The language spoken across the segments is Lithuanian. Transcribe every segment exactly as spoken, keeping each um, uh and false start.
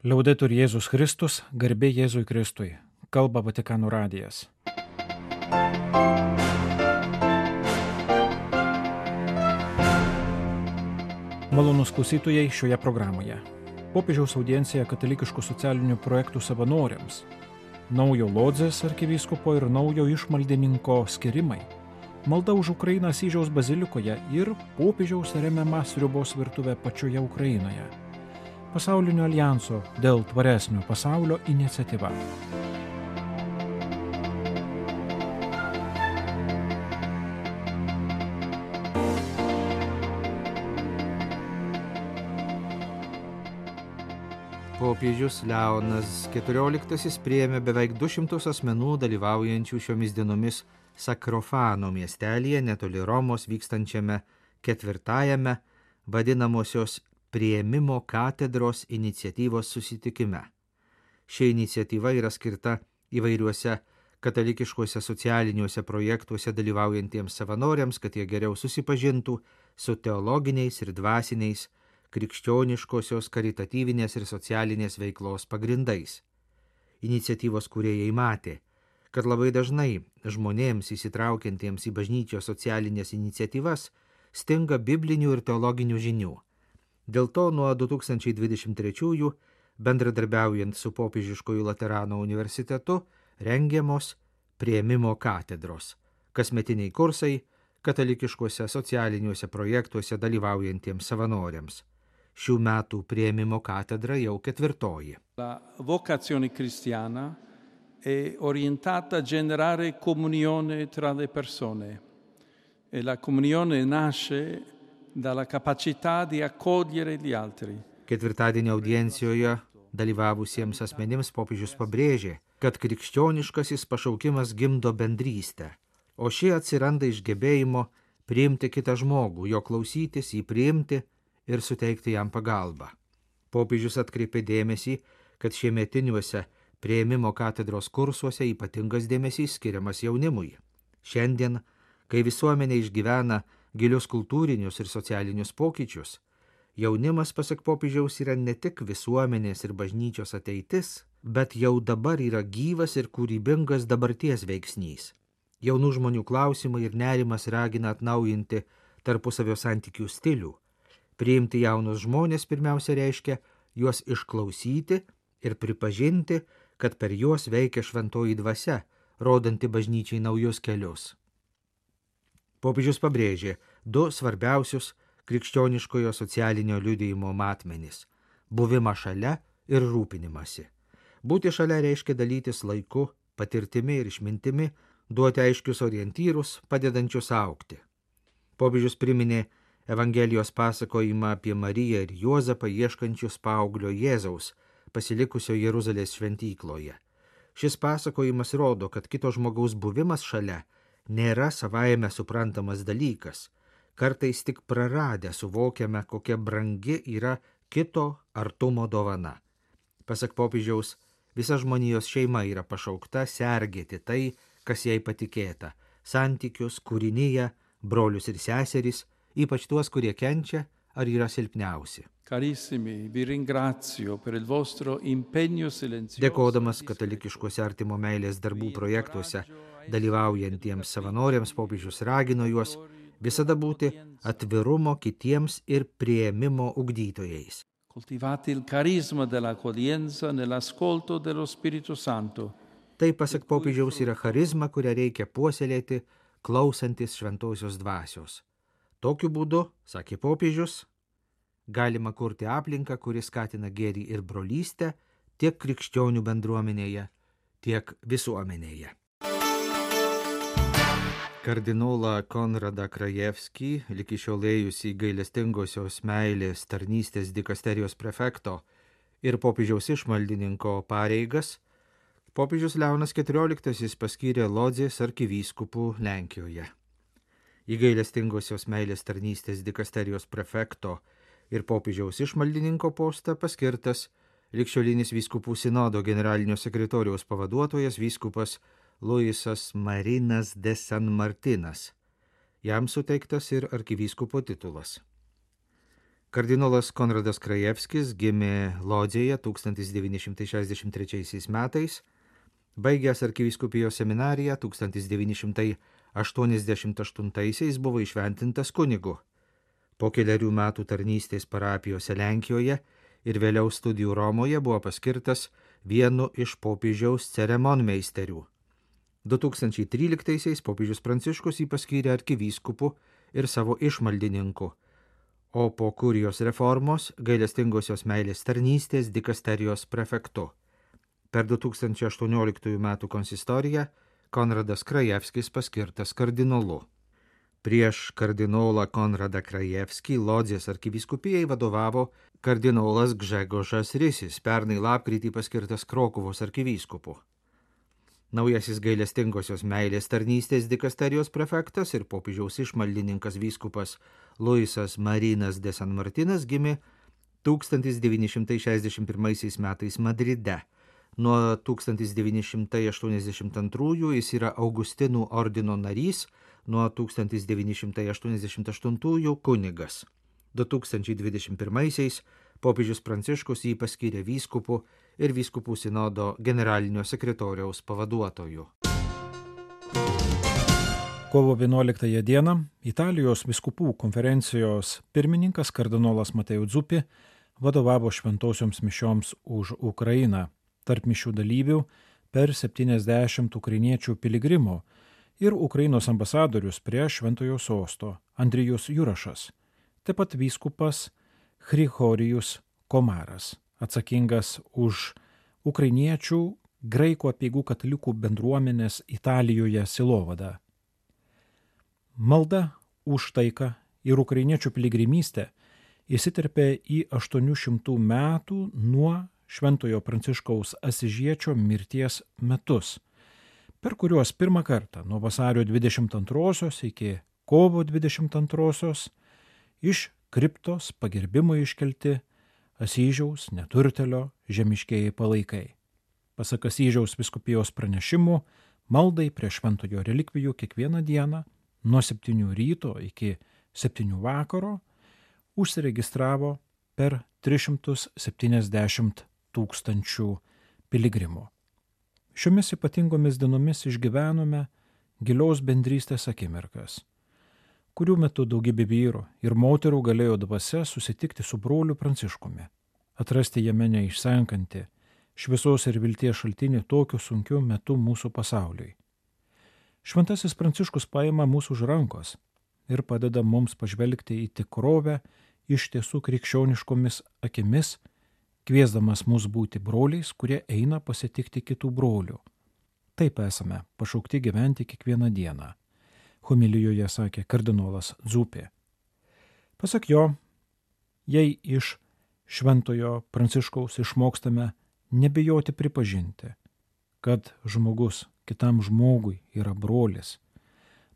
Liaudetur Jėzus Kristus, garbė Jėzui Kristui. Kalba Vatikano radijas. Malonūs klausytojai šioje programoje. Popiežiaus audiencija katalikiškų socialinių projektų savanoriams. Naujo Lodzės arkivyskupo ir naujo išmaldininko skirimai. Malda už Ukrainą Asyžiaus bazilikoje ir popiežiaus remiama sriubos virtuvė pačioje Ukrainoje. Pasaulinio alijanso dėl tvaresnio pasaulio iniciatyva. Popiežius Leonas keturioliktasis priėmė beveik du šimtus asmenų dalyvaujančių šiomis dienomis Sakrofano miestelyje netoli Romos vykstančiame ketvirtajame vadinamosios Priėmimo katedros iniciatyvos susitikime. Ši iniciatyva yra skirta įvairiuose katalikiškuose socialiniuose projektuose dalyvaujantiems savanoriams, kad jie geriau susipažintų su teologiniais ir dvasiniais krikščioniškosios, karitatyvinės ir socialinės veiklos pagrindais. Iniciatyvos kūrėjai matė, kad labai dažnai žmonėms įsitraukiantiems į bažnyčios socialinės iniciatyvas stinga biblinių ir teologinių žinių. Dėl to nuo du tūkstančiai dvidešimt trečiųjų, bendradarbiaujant su Popiežiškoju Laterano universitetu, rengiamos Priėmimo katedros, kasmetiniai kursai katalikiškuose socialiniuose projektuose dalyvaujantiems savanoriams. Šių metų Priėmimo katedra jau ketvirtoji. La vocazione cristiana è orientata a generare comunione tra le persone e la comunione nasce dalla capacità di accogliere gli altri. Ketvirtadienio audiencijoje dalyvavusiems asmenims popiežius pabrėžė, kad krikščioniškasis pašaukimas gimdo bendrystę, o ši atsiranda iš gebėjimo priimti kitą žmogų, jo klausytis, jį priimti ir suteikti jam pagalbą. Popiežius atkreipė dėmesį, kad šiemetiniuose Priėmimo katedros kursuose ypatingas dėmesys skiriamas jaunimui. Šiandien, kai visuomenė išgyvena gilius kultūrinius ir socialinius pokyčius, jaunimas, pasak popiežiaus, yra ne tik visuomenės ir bažnyčios ateitis, bet jau dabar yra gyvas ir kūrybingas dabarties veiksnys. Jaunų žmonių klausimai ir nerimas ragina atnaujinti tarpusavio santykių stilių. Priimti jaunus žmonės pirmiausia reiškia juos išklausyti ir pripažinti, kad per juos veikia šventoji dvasia, rodanti bažnyčiai naujus kelius. Popiežius pabrėžė du svarbiausius krikščioniškojo socialinio liudijimo matmenis – buvimą šalia ir rūpinimąsi. Būti šalia reiškia dalytis laiku, patirtimi ir išmintimi, duoti aiškius orientyrus, padedančius augti. Popiežius priminė Evangelijos pasakojimą apie Mariją ir Juozapą ieškančius paauglio Jėzaus, pasilikusio Jeruzalės šventykloje. Šis pasakojimas rodo, kad kito žmogaus buvimas šalia nėra savaime suprantamas dalykas. Kartais tik praradę suvokiame, kokia brangi yra kito artumo dovana. Pasak popiežiaus, visa žmonijos šeima yra pašaukta sergėti tai, kas jai patikėta – santykius, kūriniją, brolius ir seseris, ypač tuos, kurie kenčia ar yra silpniausi. Carissimi, vi ringrazio per il vostro impegno silenzioso. Dėkodamas katalikiškuose artimo meilės darbų projektuose dalyvaujantiems savanoriams, popiežius ragino juos visada būti atvirumo kitiems ir priėmimo ugdytojais. Coltivate il carisma dell'accoglienza nell'ascolto dello Spirito Santo. Tai, pasak popiežiaus, yra charizma, kurią reikia puoselėti, klausantis šventosios dvasios. Tokiu būdu, sakė popiežius, galima kurti aplinką, kuri skatina gėrį ir brolystę tiek krikščionių bendruomenėje, tiek visuomenėje. Kardinolą Konradą Krajevskį, iki šiol ėjusį gailestingosios meilės tarnystės dikasterijos prefekto ir popiežiaus išmaldininko pareigas, popiežius Leonas keturioliktasis paskyrė Lodzės arkivyskupų Lenkijoje. Į gailestingosios meilės tarnystės dikasterijos prefekto ir popiežiaus išmaldininko postą paskirtas ligšiolinis vyskupų sinodo generalinio sekretoriaus pavaduotojas vyskupas Luisas Marinas de San Martinas. Jam suteiktas ir arkivyskupo titulas. Kardinolas Konradas Krajevskis gimė Lodzėje tūkstantis devyni šimtai šešiasdešimt trečiaisiais metais, baigęs arkivyskupijos seminariją tūkstantis devyni šimtai aštuoniasdešimt aštuntaisiais buvo įšventintas kunigu. Po keliarių metų tarnystės parapijose Lenkijoje ir vėliau studijų Romoje buvo paskirtas vienu iš popiežiaus ceremonmeisterių. du tūkstančiai tryliktaisiais popiežius Pranciškus jį paskyrė arkivyskupu ir savo išmaldininku, o po kurijos reformos gailestingosios meilės tarnystės dikasterijos prefektu. Per du tūkstančiai aštuonioliktųjų metų konsistoriją Konradas Krajevskis paskirtas kardinolu. Prieš kardinolą Konradą Krajevskį Lodzės arkivyskupijai vadovavo kardinolas Gžegožas Risis, pernai lapkritį paskirtas Krokuvos arkivyskupu. Naujasis gailestingosios meilės tarnystės dikasterijos prefektas ir popiežiaus išmaldininkas vyskupas Luisas Marinas de San Martinas gimė tūkstantis devyni šimtai šešiasdešimt pirmaisiais metais Madride. Nuo tūkstantis devyni šimtai aštuoniasdešimt antrųjų jis yra Augustinų ordino narys, nuo tūkstantis devyni šimtai aštuoniasdešimt aštuntųjų kunigas. du tūkstančiai dvidešimt pirmaisiais popiežius Pranciškus jį paskyrė vyskupu ir vyskupų sinodo generalinio sekretoriaus pavaduotoju. Kovo vienuoliktąją dieną Italijos vyskupų konferencijos pirmininkas kardinolas Mateo Zuppi vadovavo šventosioms mišioms už Ukrainą. Tarp mišių dalyvių per septyniasdešimt ukrainiečių piligrimų ir Ukrainos ambasadorius prie šventojo sosto Andrijus Jurašas, taip pat vyskupas Chrihorijus Komaras, atsakingas už ukrainiečių graikų apeigų katalikų bendruomenės Italijoje sielovadą. Malda už taiką ir ukrainiečių piligrimystę įsiterpė į aštuonių šimtų metų nuo Šventojo Pranciškaus Asižiečio mirties metus, per kuriuos pirmą kartą nuo vasario dvidešimt antrosios iki kovo dvidešimt antrosios iš kriptos pagerbimui iškelti Asyžiaus neturtelio žemiškieji palaikai. Pasak Asyžiaus vyskupijos pranešimų, maldai prie šventojo relikvijų kiekvieną dieną nuo septynių ryto iki septynių vakaro užsiregistravo per tris šimtus septyniasdešimt tūkstančių piligrimų. Šiomis ypatingomis dienomis išgyvenome gilios bendrystės akimirkas, kurių metu daugybė vyrų ir moterų galėjo dvasia susitikti su broliu Pranciškumi, atrasti jame neišsenkantį šviesos ir vilties šaltinį tokiu sunkiu metu mūsų pasauliui. Šventasis Pranciškus paima mūsų už rankos ir padeda mums pažvelgti į tikrovę iš tiesų krikščioniškomis akimis, kviesdamas mus būti broliais, kurie eina pasitikti kitų brolių. Taip esame pašaukti gyventi kiekvieną dieną, homilijoje sakė kardinolas Zuppi. Pasak jo, jei iš šventojo Pranciškaus išmokstame nebijoti pripažinti, kad žmogus kitam žmogui yra brolis,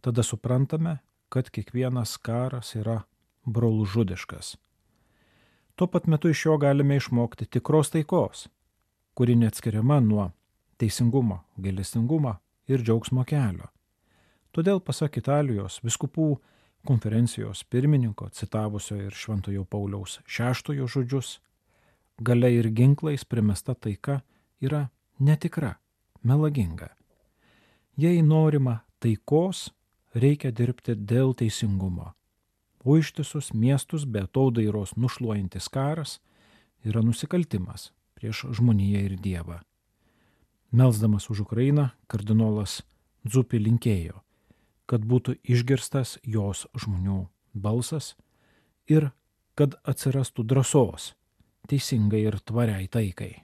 tada suprantame, kad kiekvienas karas yra brolžudiškas. Tuo pat metu iš jo galime išmokti tikros taikos, kuri neatskiriama nuo teisingumo, gailestingumo ir džiaugsmo kelio. Todėl, pasak Italijos vyskupų konferencijos pirmininko, citavusio ir Šventojo Pauliaus šeštojo žodžius, galia ir ginklais primesta taika yra netikra, melaginga. Jei norima taikos, reikia dirbti dėl teisingumo. O ištisus miestus be atodairos nušluojantis karas yra nusikaltimas prieš žmoniją ir Dievą. Melsdamas už Ukrainą, kardinolas Zuppi linkėjo, kad būtų išgirstas jos žmonių balsas ir kad atsirastų drąsos teisingai ir tvariai taikai.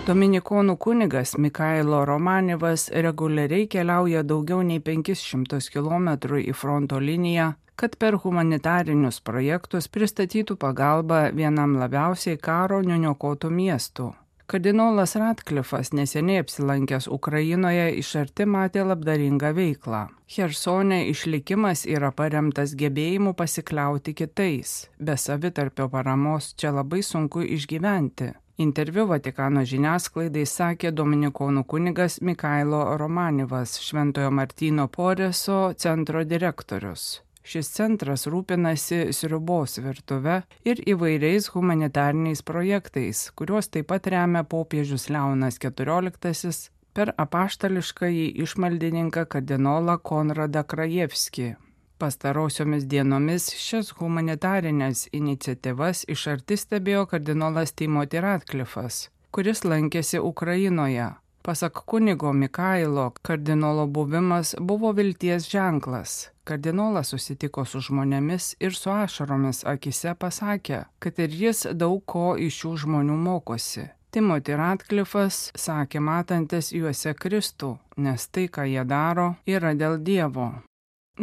Dominikonų kunigas Mikailo Romanivas reguliariai keliauja daugiau nei penkis šimtus kilometrų į fronto liniją, kad per humanitarinius projektus pristatytų pagalbą vienam labiausiai karo nuniokotų miestų. Kardinolas Ratklifas neseniai apsilankęs Ukrainoje iš arti matė labdaringą veiklą. Chersone išlikimas yra paremtas gebėjimu pasikliauti kitais. Be savitarpio paramos čia labai sunku išgyventi. Interviu Vatikano žiniasklaidai sakė dominikonų kunigas Mikailo Romanivas, Šventojo Martyno Poreso centro direktorius. Šis centras rūpinasi sriubos virtuve ir įvairiais humanitariniais projektais, kuriuos taip pat remia popiežius Leonas keturioliktasis per apaštališkąjį išmaldininką kardinolą Konradą Krajevskį. Pastarosiomis dienomis šias humanitarinės iniciatyvas iš arti stebėjo kardinolas Timothy Ratcliffas, kuris lankėsi Ukrainoje. Pasak kunigo Mikailo, kardinolo buvimas buvo vilties ženklas. Kardinolas susitiko su žmonėmis ir su ašaromis akise pasakė, kad ir jis daug ko iš šių žmonių mokosi. Timothy Ratcliffas sakė matantis juose Kristų, nes tai, ką jie daro, yra dėl Dievo.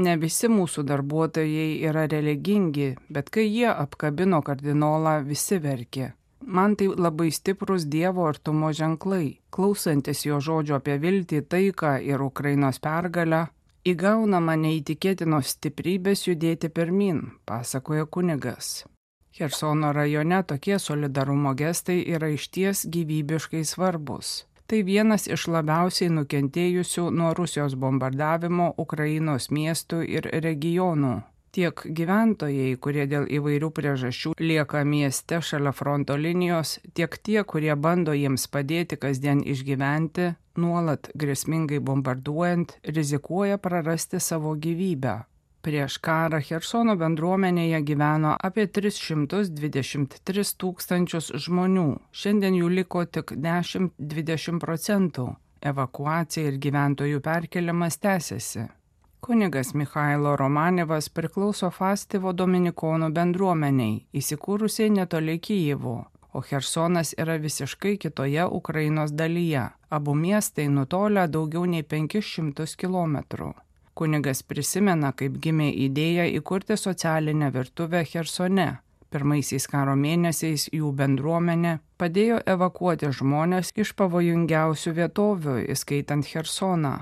Ne visi mūsų darbuotojai yra religingi, bet kai jie apkabino kardinolą, visi verkė. Man tai labai stiprus Dievo artumo ženklai. Klausantis jo žodžio apie viltį, taiką ir Ukrainos pergalę, įgaunama neįtikėtinos stiprybės judėti pirmin, pasakoja kunigas. Chersono rajone tokie solidarumo gestai yra išties gyvybiškai svarbus. Tai vienas iš labiausiai nukentėjusių nuo Rusijos bombardavimo Ukrainos miestų ir regionų. Tiek gyventojai, kurie dėl įvairių priežasčių lieka mieste šalia fronto linijos, tiek tie, kurie bando jiems padėti kasdien išgyventi, nuolat grėsmingai bombarduojant, rizikuoja prarasti savo gyvybę. Prieš karą Chersono bendruomenėje gyveno apie tris šimtus dvidešimt tris tūkstančius žmonių, šiandien jų liko tik dešimt iki dvidešimt procentų. Evakuacija ir gyventojų perkeliamas tęsiasi. Kunigas Michailo Romanevas priklauso Fastivo dominikonų bendruomeniai, įsikūrusiai netoli Kijevo, o Chersonas yra visiškai kitoje Ukrainos dalyje. Abu miestai nutolę daugiau nei penkis šimtus kilometrų. Kunigas prisimena, kaip gimė idėja įkurti socialinę virtuvę Chersone. Pirmaisiais karo mėnesiais jų bendruomenė padėjo evakuoti žmones iš pavojingiausių vietovių, įskaitant Chersoną.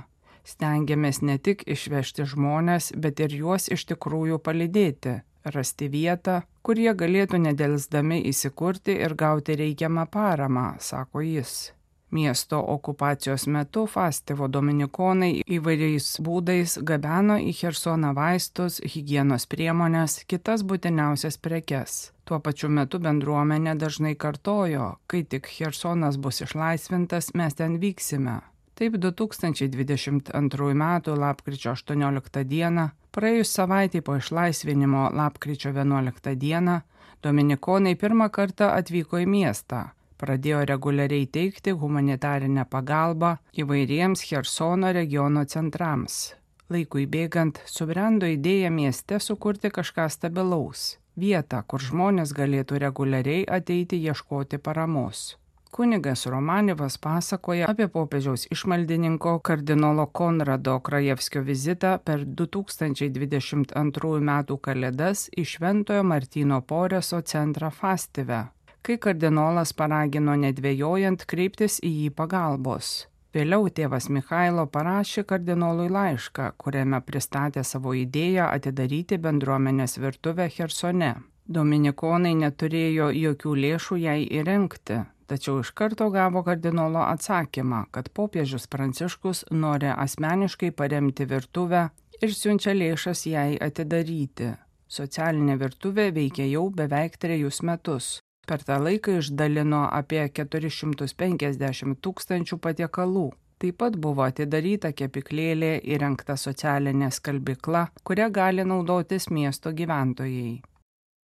Stengiamės ne tik išvežti žmones, bet ir juos iš tikrųjų palydėti, rasti vietą, kur jie galėtų nedelsdami įsikurti ir gauti reikiamą paramą, sako jis. Miesto okupacijos metu Fastivo dominikonai įvairiais būdais gabeno į Chersoną vaistus, higienos priemonės, kitas būtiniausias prekes. Tuo pačiu metu bendruomenė dažnai kartojo, kai tik Chersonas bus išlaisvintas, mes ten vyksime. Taip du tūkstančiai dvidešimt antrųjų metų lapkričio aštuonioliktą dieną, praėjus savaitei po išlaisvinimo lapkričio vienuoliktą dieną, dominikonai pirmą kartą atvyko į miestą, pradėjo reguliariai teikti humanitarinę pagalbą įvairiems Chersono regiono centrams. Laikui bėgant subrendo idėja mieste sukurti kažką stabilaus, vietą, kur žmonės galėtų reguliariai ateiti ieškoti paramos. Kunigas Romanevas pasakoja apie popiežiaus išmaldininko kardinolo Konrado Krajevskio vizitą per du tūkstančiai dvidešimt antrųjų metų kalėdas į Šventojo Martyno Poreso centrą Fastive, kai kardinolas paragino nedvejojant kreiptis į jį pagalbos. Vėliau tėvas Michailo parašė kardinolui laišką, kuriame pristatė savo idėją atidaryti bendruomenės virtuvę Chersone. Dominikonai neturėjo jokių lėšų jai įrengti. Tačiau iš karto gavo kardinolo atsakymą, kad popiežius Pranciškus nori asmeniškai paremti virtuvę ir siunčia lėšas jai atidaryti. Socialinė virtuvė veikia jau beveik trejus metus. Per tą laiką išdalino apie keturis šimtus penkiasdešimt tūkstančių patiekalų. Taip pat buvo atidaryta kepyklėlė, įrengta socialinė skalbykla, kurią gali naudotis miesto gyventojai.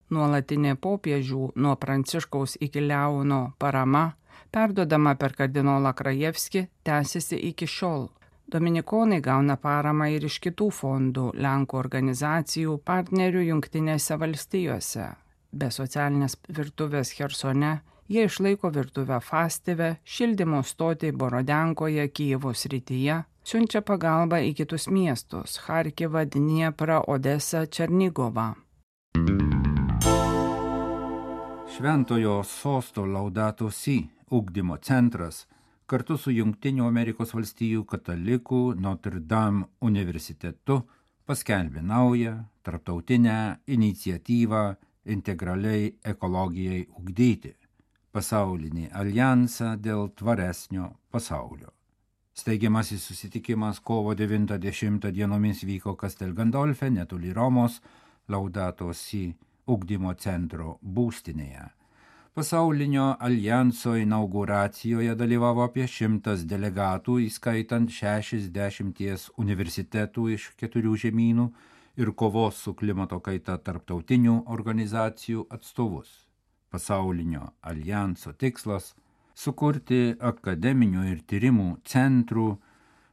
Nuolatinė popiežių nuo Pranciškaus iki Leono parama, perduodama per kardinolą Krajevskį, tęsiasi iki šiol. Dominikonai gauna paramą ir iš kitų fondų, Lenkų organizacijų, partnerių Jungtinėse valstijose. Be socialinės virtuvės Chersone, jie išlaiko virtuvę Fastive, šildymo stotį Borodenkoje, Kijevo srityje, siunčia pagalbą į kitus miestus – Charkivą, Dnieprą, Odesą, Černigovą. Šventojo sosto Laudato Si ugdymo centras kartu su Jungtinių Amerikos valstijų katalikų Notre Dame universitetu paskelbė naują tarptautinę iniciatyvą integraliai ekologijai ugdyti – pasaulinį aljansą dėl tvaresnio pasaulio. Steigiamasis susitikimas kovo devintą dešimtą dienomis vyko Castel Gandolfe, netoli Romos, Laudato Si ugdymo centro būstinėje. Pasaulinio aljanso inauguracijoje dalyvavo apie šimtas delegatų, įskaitant šešiasdešimties universitetų iš keturių žemynų ir kovos su klimato kaita tarptautinių organizacijų atstovus. Pasaulinio aljanso tikslas – sukurti akademinių ir tyrimų centrų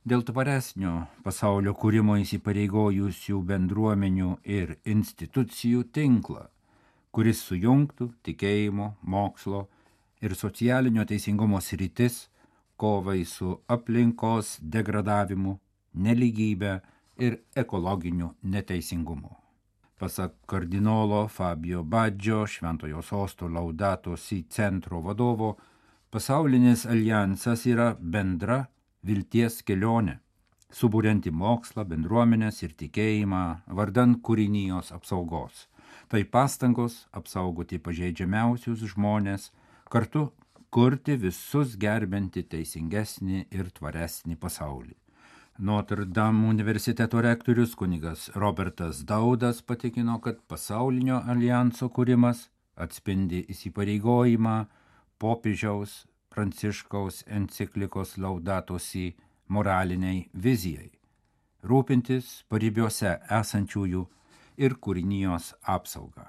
dėl tvaresnio pasaulio kūrimo įsipareigojusių bendruomenių ir institucijų tinklą, kuris sujungtų tikėjimo, mokslo ir socialinio teisingumo sritis kovai su aplinkos degradavimu, nelygybė ir ekologiniu neteisingumu. Pasak kardinolo Fabio Baggio, Šventojo Sosto Laudato Si centro vadovo, pasaulinis aljansas yra bendra vilties kelionė, suburianti mokslą, bendruomenės ir tikėjimą vardan kūrinijos apsaugos. Tai pastangos apsaugoti pažeidžiamiausius žmonės, kartu kurti visus gerbinti teisingesnį ir tvaresnį pasaulį. Notre Dame universiteto rektorius kunigas Robertas Daudas patikino, kad pasaulinio aljanso kūrimas atspindi įsipareigojimą popiežiaus Pranciškaus enciklikos Laudato Si moraliniai vizijai, rūpintis paribiuose esančiųjų ir kūrinijos apsaugą.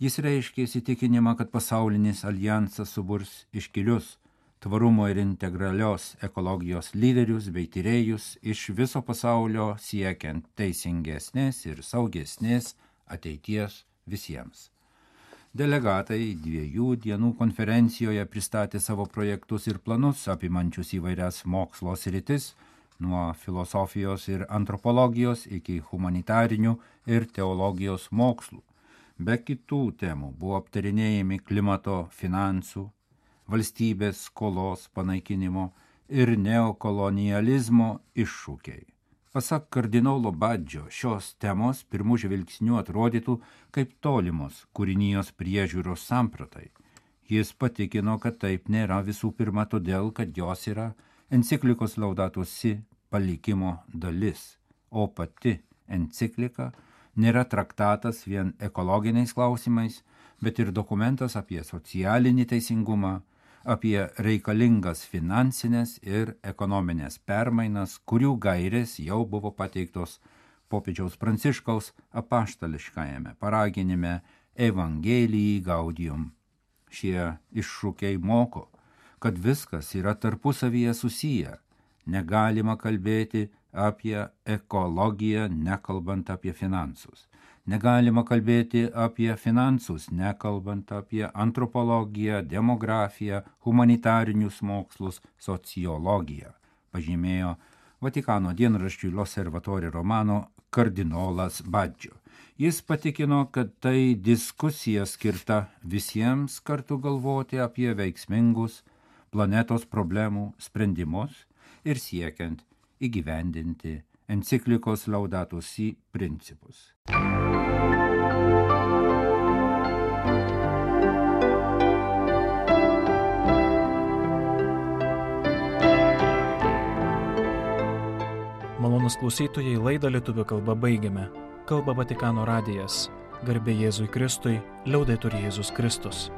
Jis reiškia įsitikinimą, kad pasaulinis aljansas suburs iškilius tvarumo ir integralios ekologijos lyderius bei tyrėjus iš viso pasaulio siekiant teisingesnės ir saugesnės ateities visiems. Delegatai dviejų dienų konferencijoje pristatė savo projektus ir planus apimančius įvairias mokslo sritis, nuo filosofijos ir antropologijos iki humanitarinių ir teologijos mokslų. Be kitų temų buvo aptarinėjami klimato, finansų, valstybės skolos panaikinimo ir neokolonializmo iššūkiai. Pasak kardinolo Baggio, šios temos pirmų žvilgsnių atrodytų kaip tolimos kūrinijos priežiūros sampratai. Jis patikino, kad taip nėra visų pirma todėl, kad jos yra enciklikos Laudato Si palikimo dalis, o pati enciklika nėra traktatas vien ekologiniais klausimais, bet ir dokumentas apie socialinį teisingumą, apie reikalingas finansinės ir ekonominės permainas, kurių gairės jau buvo pateiktos popiežiaus Pranciškaus apaštališkajame paraginime Evangelijai Gaudium. Šie iššūkiai moko, kad viskas yra tarpusavyje susiję. Negalima kalbėti apie ekologiją, nekalbant apie finansus. Negalima kalbėti apie finansus, nekalbant apie antropologiją, demografiją, humanitarinius mokslus, sociologiją, pažymėjo Vatikano dienraščiui L'Osservatore Romano kardinolas Baggio. Jis patikino, kad tai diskusija skirta visiems kartu galvoti apie veiksmingus planetos problemų sprendimus ir siekiant įgyvendinti enciklikos Laudato Si principus. Malonūs klausytojai, laidą lietuvių kalba baigiame. Kalba Vatikano radijas. Garbė Jėzui Kristui, liaudetur Jėzus Kristus.